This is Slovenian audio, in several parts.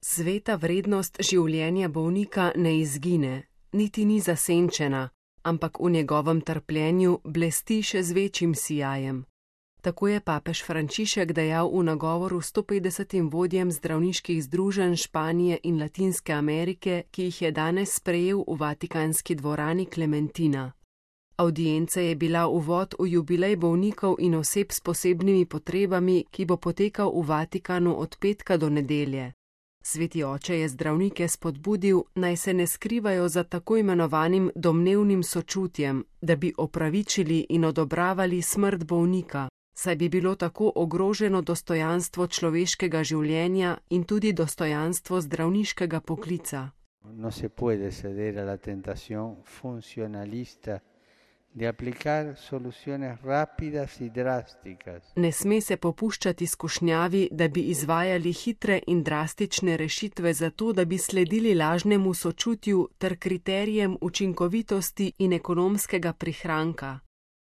Sveta vrednost življenja bolnika ne izgine, niti ni zasenčena, ampak v njegovem trpljenju blesti še z večjim sijajem. Tako je papež Frančišek dejal v nagovoru 150 vodjem zdravniških združenj Španije in Latinske Amerike, ki jih je danes sprejel v Vatikanski dvorani Klementina. Avdienca je bila uvod v jubilej bolnikov in oseb s posebnimi potrebami, ki bo potekal v Vatikanu od petka do nedelje. Sveti oče je zdravnike spodbudil, naj se ne skrivajo za tako imenovanim domnevnim sočutjem, da bi opravičili in odobravali smrt bolnika, saj bi bilo tako ogroženo dostojanstvo človeškega življenja in tudi dostojanstvo zdravniškega poklica. No se puede ceder a la tentación funcionalista de aplicar soluciones rápidas y drásticas. Ne sme se popuščati skušnjavi, da bi izvajali hitre in drastične rešitve zato, da bi sledili lažnemu sočutju ter kriterijem učinkovitosti in ekonomskega prihranka.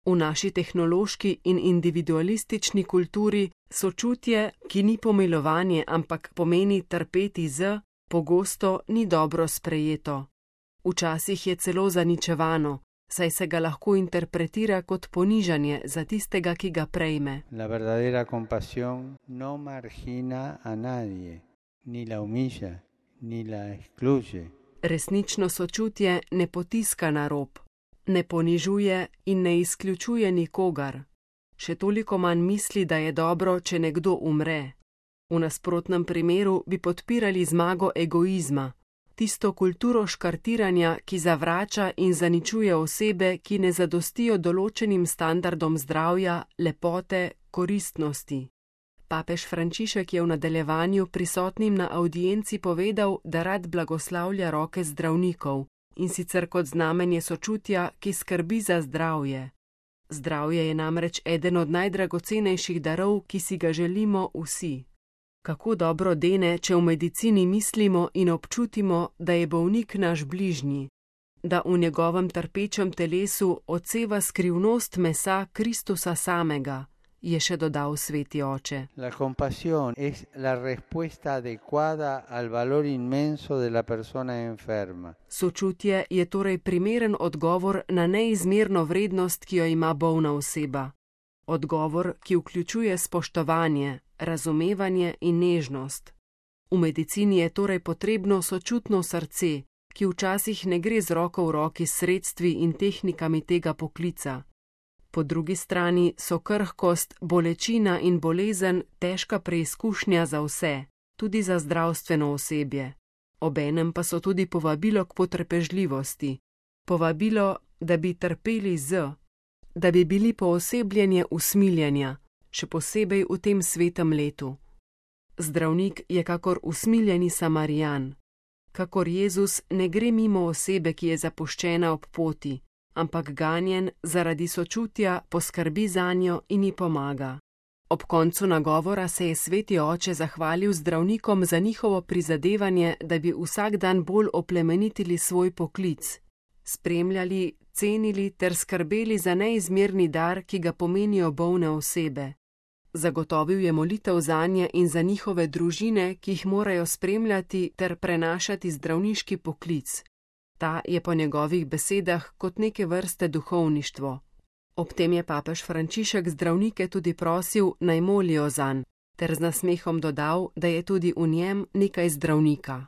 V naši tehnološki in individualistični kulturi sočutje, ki ni pomilovanje, ampak pomeni trpeti z, pogosto ni dobro sprejeto. Včasih je celo zaničevano, saj se ga lahko interpretira kot ponižanje za tistega, ki ga prejme. La verdadera compasión no margina a nadie, ni la humilla, ni la excluye. Resnično sočutje ne potiska na rob, ne ponižuje in ne izključuje nikogar. Še toliko manj misli, da je dobro, če nekdo umre. V nasprotnem primeru bi podpirali zmago egoizma, tisto kulturo škartiranja, ki zavrača in zaničuje osebe, ki ne zadostijo določenim standardom zdravja, lepote, koristnosti. Papež Frančišek je v nadaljevanju prisotnim na avdienci povedal, da rad blagoslavlja roke zdravnikov, in sicer kot znamenje sočutja, ki skrbi za zdravje. Zdravje je namreč eden od najdragocenejših darov, ki si ga želimo vsi. Kako dobro dene, če v medicini mislimo in občutimo, da je bolnik naš bližnji, da v njegovem trpečem telesu odseva skrivnost mesa Kristusa samega, je še dodal sveti oče. La compasión es la respuesta adecuada al valor inmenso de la persona enferma. Sočutje je torej primeren odgovor na neizmerno vrednost, ki jo ima bolna oseba. Odgovor, ki vključuje spoštovanje, razumevanje in nežnost. V medicini je torej potrebno sočutno srce, ki včasih ne gre z roko v roki s sredstvi in tehnikami tega poklica. Po drugi strani so krhkost, bolečina in bolezen težka preizkušnja za vse, tudi za zdravstveno osebje. Obenem pa so tudi povabilo k potrpežljivosti, povabilo, da bi trpeli da bi bili poosebljenje usmiljenja, še posebej v tem svetem letu. Zdravnik je kakor usmiljeni Samarijan. Kakor Jezus ne gre mimo osebe, ki je zapuščena ob poti, ampak ganjen zaradi sočutja poskrbi zanjo in ji pomaga. Ob koncu nagovora se je sveti oče zahvalil zdravnikom za njihovo prizadevanje, da bi vsak dan bolj oplemenitili svoj poklic, spremljali, cenili ter skrbeli za neizmerni dar, ki ga pomenijo bolne osebe. Zagotovil je molitev zanje in za njihove družine, ki jih morajo spremljati ter prenašati zdravniški poklic. Ta je po njegovih besedah kot neke vrste duhovništvo. Ob tem je papež Frančišek zdravnike tudi prosil, naj molijo zanj, ter z nasmehom dodal, da je tudi v njem nekaj zdravnika.